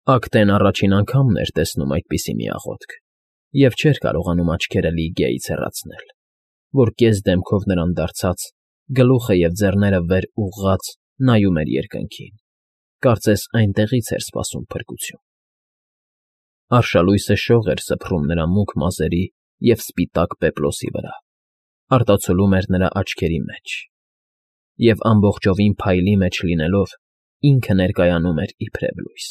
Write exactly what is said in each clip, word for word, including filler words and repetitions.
Ակտեն առաջին անգամն էր տեսնում այդպիսի մի աղոթք և չէր կարողանում աչքերը Լիգիայից հեռացնել, որ կես դեմքով նրան դարձած, գլուխը և ձեռները վեր ուղղած նայում էր երկնքին, կարծես այնտեղից էր սպասում փրկություն։ Արշալույսը շող էր սփռում նրա մուգ մազերի և սպիտակ պեպլոսի վրա, արտացոլում էր նրա աչքերի մեջ և, ամբողջովին փայլի մեջ լինելով, ինքը ներկայանում էր իբրև լույս։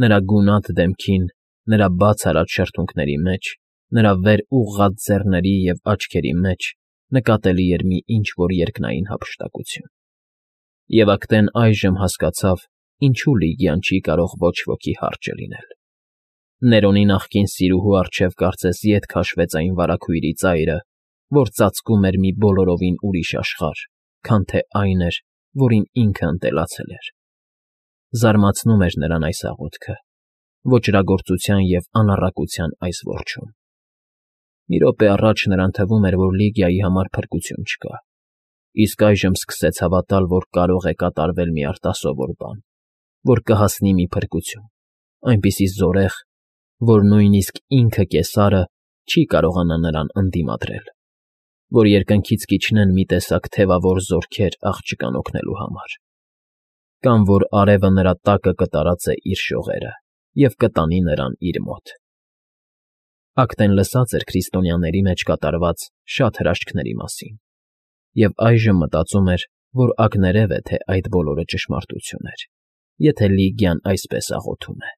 Նրա գունատ դեմքին, նրա բաց արած շրթունքների մեջ, նրա վեր ուղղած ձեռների և աչքերի մեջ նկատելի էր մի ինչ֊որ երկնային հափշտակություն։ Եվ Ակտեն այժմ հասկացավ, ինչու Լիգիան չի կարող ոչ ոքի հարճը լինել։ Ներոնի նախկին սիրուհու առջև կարծես ետ քաշվեց այն վարագույրի ծայրը, որ ծածկում էր մի բոլորովին ուրիշ աշխարհ, քան թե այն էր, որին ինքը ընտելացել էր։ Զարմացնում էր նրան այս աղոթքը, ոճրագործության և անառակության այս որջում։ Մի րոպե առաջ նրան թվում էր, որ Լիգիայի համար փրկություն չկա, իսկ այժմ սկսեց հավատալ, որ կարող է կատարվել մի արտասովոր բան, որ կհասնի մի փրկություն, այնպիսի զորեղ, որ նույնիսկ ինքը՝ Կեսարը, չի կարողանա նրան ընդդիմադրել, որ երկնքից կիջնեն մի տեսակ թևավոր զորքեր աղջկան օգնելու համար, կամ որ արևը նրա տակը կտարածե իր շողերը և կտանի նրան իր մոտ։ Ակտեն լսած էր քրիստոնյաների մեջ կատարված շատ հրաշքների մասին և այժմ մտածում էր, որ ակներև է, թե այդ բոլորը ճշմարտություն էր, եթե Լիգիան այսպես աղոթում է։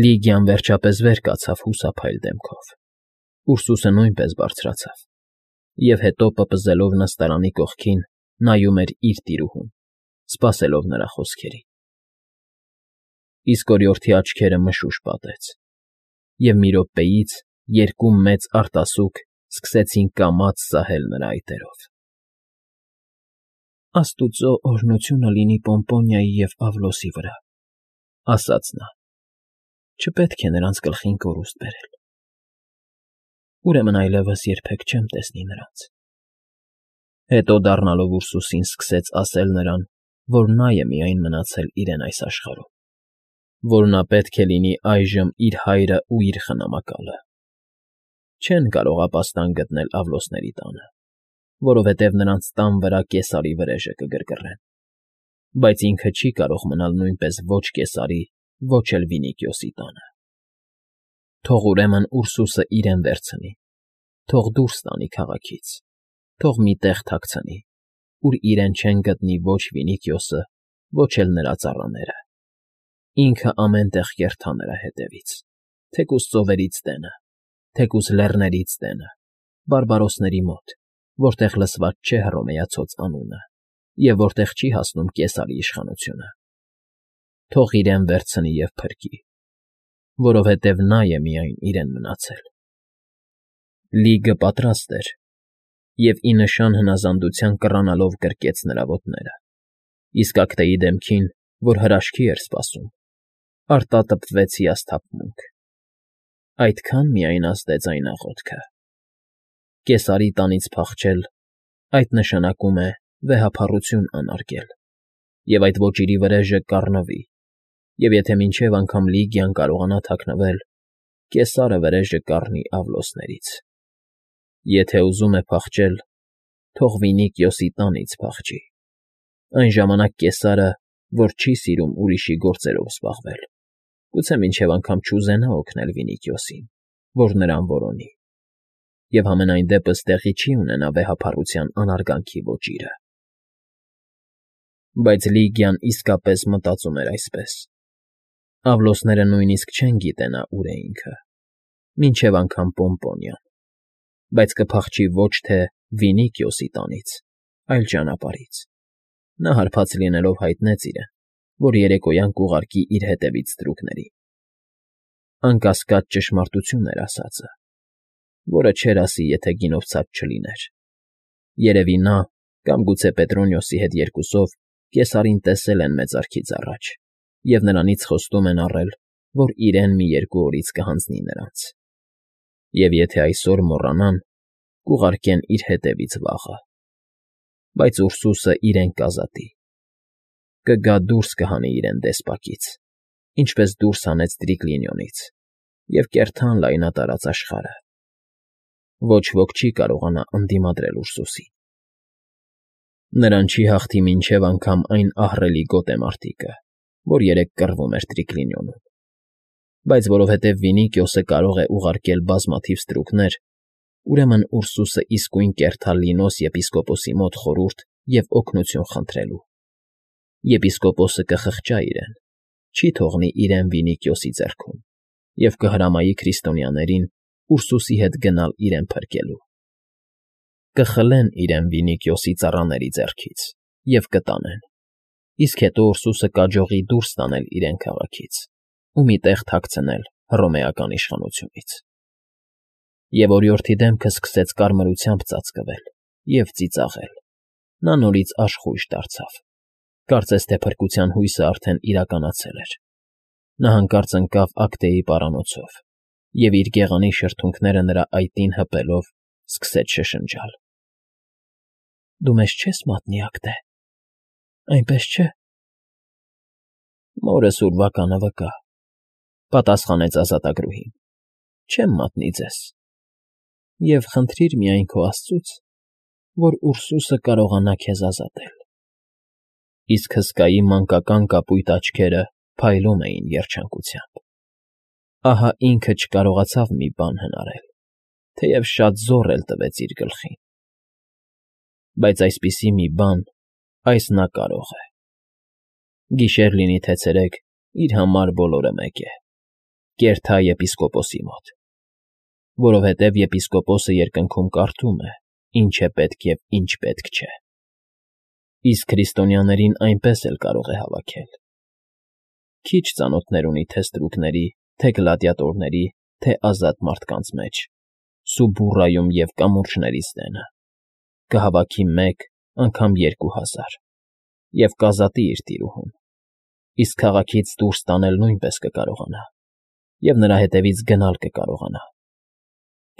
Լիգիան վերջապես վեր կացավ հուսափայլ դեմքով, Ուրսուսը նույնպես բարձրացավ և հետո, պպզելով նստարանի կողքին, նայում էր իր տիրուհուն, սպասելով նրա խոսքերին։ Իսկ օրիորդի աչքերը մշուշ պատեց, և մի րոպեից երկու մեծ արտասուք սկսեցին կամաց սահել նրա այտերով։ ֊ Աստուծո օրհնությունը լինի Պոմպոնիայի և Ավլոսի վրա,֊ ասաց նա։֊ Չպետք է նրանց գլխին կորուստ բերել։ Ուրեմն այլևս երբեք չեմ տեսնի նրանց։ Հետո դառնալով Ուրսուսին՝ սկսեց ասել նրան, որ նա է միայն մնացել իրեն այս աշխարհում, որ նա պետք է լինի այժմ իր հայրն ու իր խնամակալը։ Չեն կարող ապաստան գտնել Ավլոսների տանը, որովհետև նրանց տան վրա Կեսարի վրեժը կգրգռեն, բայց ինքը չի կարող մնալ նույնպես ոչ Կեսարի, ոչ էլ Վինիքիոսի տանը։ Թող ուրեմն Ուրսուսը իրեն վերցնի, թող դուրս տանի քաղաքից, թող մի տեղ թաքցնի, ուր իրեն չեն գտնի ոչ Վինիքիոսը, ոչ էլ նրա ծառաները։ Ինքը ամեն տեղ կերթա նրա հետևից, թեկուզ ծովերից տենը, թեկուզ լեռներից տենը, բարբարոսների մոտ, որտեղ լսված չէ Հռոմեացուց անունը և որտեղ չի հասնում Կեսարի իշխանությունը։ Թող իրեն վերցնի և փրկի, որովհետև նա է միայն իրեն մնացել։ Լիգը պատրաստ էր և ի նշան հնազանդության կռանալով գրկեց նրա ոտները, իսկ Ակտեի դեմքին, որ հրաշքի էր սպասում, արտատպվեց հիասթափմունք։ Այդքան միայն ազդեց այն աղոթքը։ Կեսարի տանից փախչել, այդ նշանակում է վեհափառություն անարգել, և այդ ոճիրի վրեժը կառնվի, և եթե մինչև անգամ Լիգիան կարողանա թաքնվել, Կեսարը վրեժը կառնի Ավլոսներից։ Եթե ուզում է փախչել, թող Վինիքիոսի տանից փախչի։ Այն ժամանակ Կեսարը, որ չի սիրում ուրիշի գործերով զբաղվել, գուցե մինչև անգամ չուզենա օգնել Վինիքիոսին, որ նրան որոնի, և համենայն դեպս տեղի չի ունենա վեհափառության անարգանքի ոճիրը։ Բայց Լիգիան իսկապես մտածում էր այսպես. Ավլոսները նույնիսկ չեն գիտենա ուր է ինքը, մինչև անգամ Պոմպոնիան, բայց կփախչի ոչ թե Վինիքիոսի տանից, այլ ճանապարհից։ Նա հարբած լինելով հայտնեց իրեն, որ երեկոյան կուղարկի իր հետևից ստրուկներին։ Անկասկած ճշմարտություն էր ասածը, որը չէր ասի, եթե գինովցած չլիներ։ Երևի նա, կամ գուցե Պետրոնիոսի հետ երկուսով Կեսարին տեսել են մեծարգից առաջ և նրանից խոստում են առել, որ իրեն մի երկու օրից կհանձնի նրանց։ Եվ եթե այսօր մոռանան, կուղարկեն իր հետևից վաղը։ Բայց Ուրսուսը իրեն կազատի, կգա դուրս կհանի իրեն դեսպակից ինչպես դուրս հանեց Տրիկլինիոնից, և կերտան լայնատարած աշխարհը։ Ոչ ոք չի կարողանա ընդդիմադրել Ուրսուսին։ Նրան չի հաղթի մինչև անգամ այն ահռելի գոտեմարտիկը, որ երեկ կռվում էր Տրիկլինիոնում։ Բայց որովհետև Վինիքիոսը կարող է ուղարկել բազմաթիվ ստրուկներ, ուրեմն Ուրսուսը իսկույն կերտա Լինոս եպիսկոպոսի մոտ խորհուրդ և օգնություն խնդրելու։ Եպիսկոպոսը կխղճա իրեն, չի թողնի իրեն Վինիքիոսի ձեռքում և կհրամայի քրիստոնյաներին Ուրսուսի հետ գնալ իրեն փրկելու։ Կխլեն իրեն Վինիքիոսի ծառաների ձեռքից և կտանեն, իսկ հետո Ուրսուսը կաջողի դուրս տանել իրեն քաղաքից ու մի տեղ թաքցնել հռոմեական իշխանությունից։ Եվ օրիորդի դեմքը սկսեց կարմրությամբ ծածկվել և ծիծաղել, նա նորից աշխույժ դարձավ, կարծես թե փրկության հույսը արդեն իրականացել էր։ Նա հանկարծ ընկավ Ակտեի պարանոցով և իր գեղանի շրթունքները նրա այտին հպելով սկսեց շշնջալ. «Դու մեզ չես մատնի, Ակտե, այնպես չէ»։ «Մորս ուրվականը վկա,֊ պատասխանեց ազատագրուհին,֊ չեմ մատնի ձեզ, և խնդրիր միայն քո աստծուց, որ Ուրսուսը կարողանա քեզ ազատել»։ Իսկ հսկայի մանկական կապույտ աչքերը փայլում էին երջանկությամբ։ Ահա ինքը չկարողացավ մի բան հնարել, թեև շատ զոռ էլ տվեց իր գլխին։ Բայց այսպիսի մի բան այս նա կարող է։ Գիշեր լինի թե ցերեկ, իր համար բոլորը մեկ է. կերթա եպիսկոպոսի մոտ, որովհետև եպիսկոպոսը երկնքում կարդում է, ինչ է պետք և ինչ պետք չէ։ Իսկ քրիստոնյաներին այնպես էլ կարող է հավաքել։ Քիչ ծանոթներ ունի թե ստրուկների, թե գլադիատորների, թե ազատ մարդկանց մեջ, Սուբուրրայում և կամուրջներից դենը, կհավաքի մեկ, անգամ երկու հազար, և կազատի իր տիրուհուն, իսկ քաղաքից դուրս տանել նույնպես կկարողանա, և նրա հետևից գնալ կկարողանա,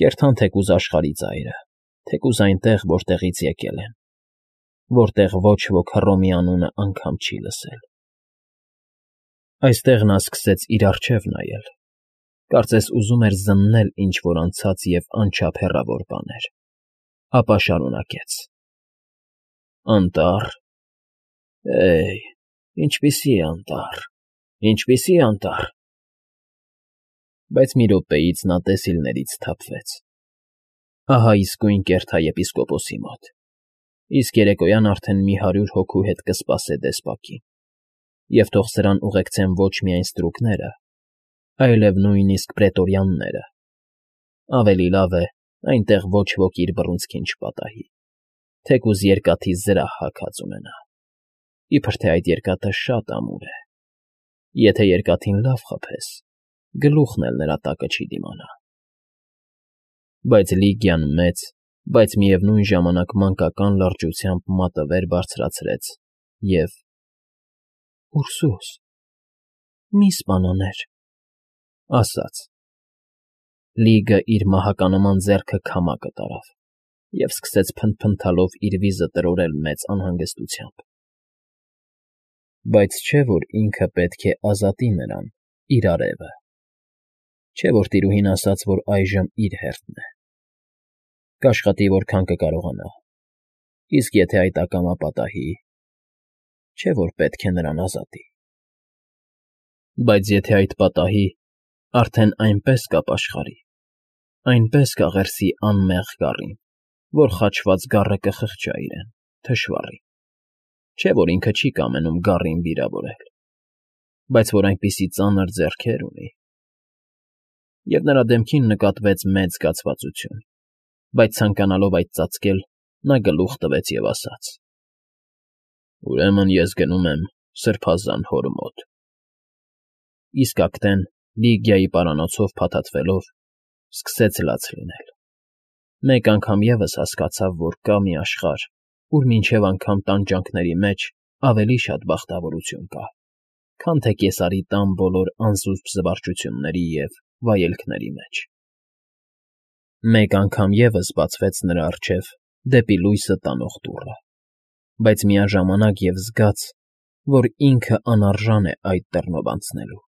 կերթան թեկուզ աշխարհի ծայրը, թեկուզ այնտեղ, որտեղից եկել են, որտեղ ոչ ոք Հռոմի անունը անգամ չի լսել։ Այստեղ նա սկսեց իր առջև նայել, կարծես ուզում էր զննել ինչ֊որ անցած և անչափ հեռավոր բաներ, ապա շարունակեց. «Անտառ… Է՜յ, ինչպիսի անտառ, ինչպիսի անտառ…»։ Բայց մի րոպեից նա տեսիլներից սթափվեց. ահա իսկույն կերթա եպիսկոպոսի մոտ, իսկ երեկոյան արդեն մի հարյուր հոգու հետ կսպասե դեսպակին, և թող սրան ուղեկցեն ոչ միայն ստրուկները, այլև նույնիսկ պրետորյանները, ավելի լավ է, այնտեղ ոչ ոք իր բռունցքին չպատահի, թեկուզ երկաթի զրահ հագած ունենա, իբրև թե այդ երկաթը շատ ամուր է, եթե երկաթին լավ խփես, գլուխն էլ նրա տակը չի դիմանա։ Բայց Լիգիան մեծ, բայց միևնույն ժամանակ մանկական լրջությամբ մատը վեր բարձրացրեց և. «Ուրսուս, մի՛ սպանաներ»,֊ ասաց։ Լիգը իր մահականման ձեռքը քամակը տարավ և սկսեց փնթփնթալով իր վիզը տրորել մեծ անհանգստությամբ։ Բայց չէ՞ որ ինքը պետք է ազատի նրան, իր արևը, չէ՞ որ տիրուհին ասաց, որ այժմ իր հերթն է։ Կաշխատի որքան կկարողանա, իսկ եթե այդ ակամա պատահի, չէ՞ որ պետք է նրան ազատի։ Բայց եթե այդ պատահի, արդեն այնպես կապաշխարի, այնպես կաղերսի անմեղ գառին, որ խաչված գառը կխղճա իրեն, թշվառի, չէ՞ որ ինքը չի կամենում գառին վիրավորել, բայց որ այնպիսի ծանր ձեռքեր ունի։ Եվ նրա դեմքին նկատվեց մեծ զգացվածություն, բայց ցանկանալով այդ ծածկել, նա գլուխ տվեց և ասաց. «Ուրեմն ես գնում եմ սրբազան հոր մոտ»։ Իսկ Ակտեն, Լիգիայի պարանոցով փաթաթվելով, սկսեց լաց լինել։ Մեկ անգամ ևս հասկացավ, որ կա մի աշխարհ, ուր մինչև անգամ տանջանքների մեջ ավելի շատ բախտավորություն կա, քան թե Կեսարի տան բոլոր անզուսպ զվարճությունների և վայելքների մեջ։ Մեկ անգամ ևս բացվեց նրա առջև դեպի լույսը տանող դուռը, բայց միաժամանակ և զգաց, որ ինքը անարժան է այդ դռնով անցնելու։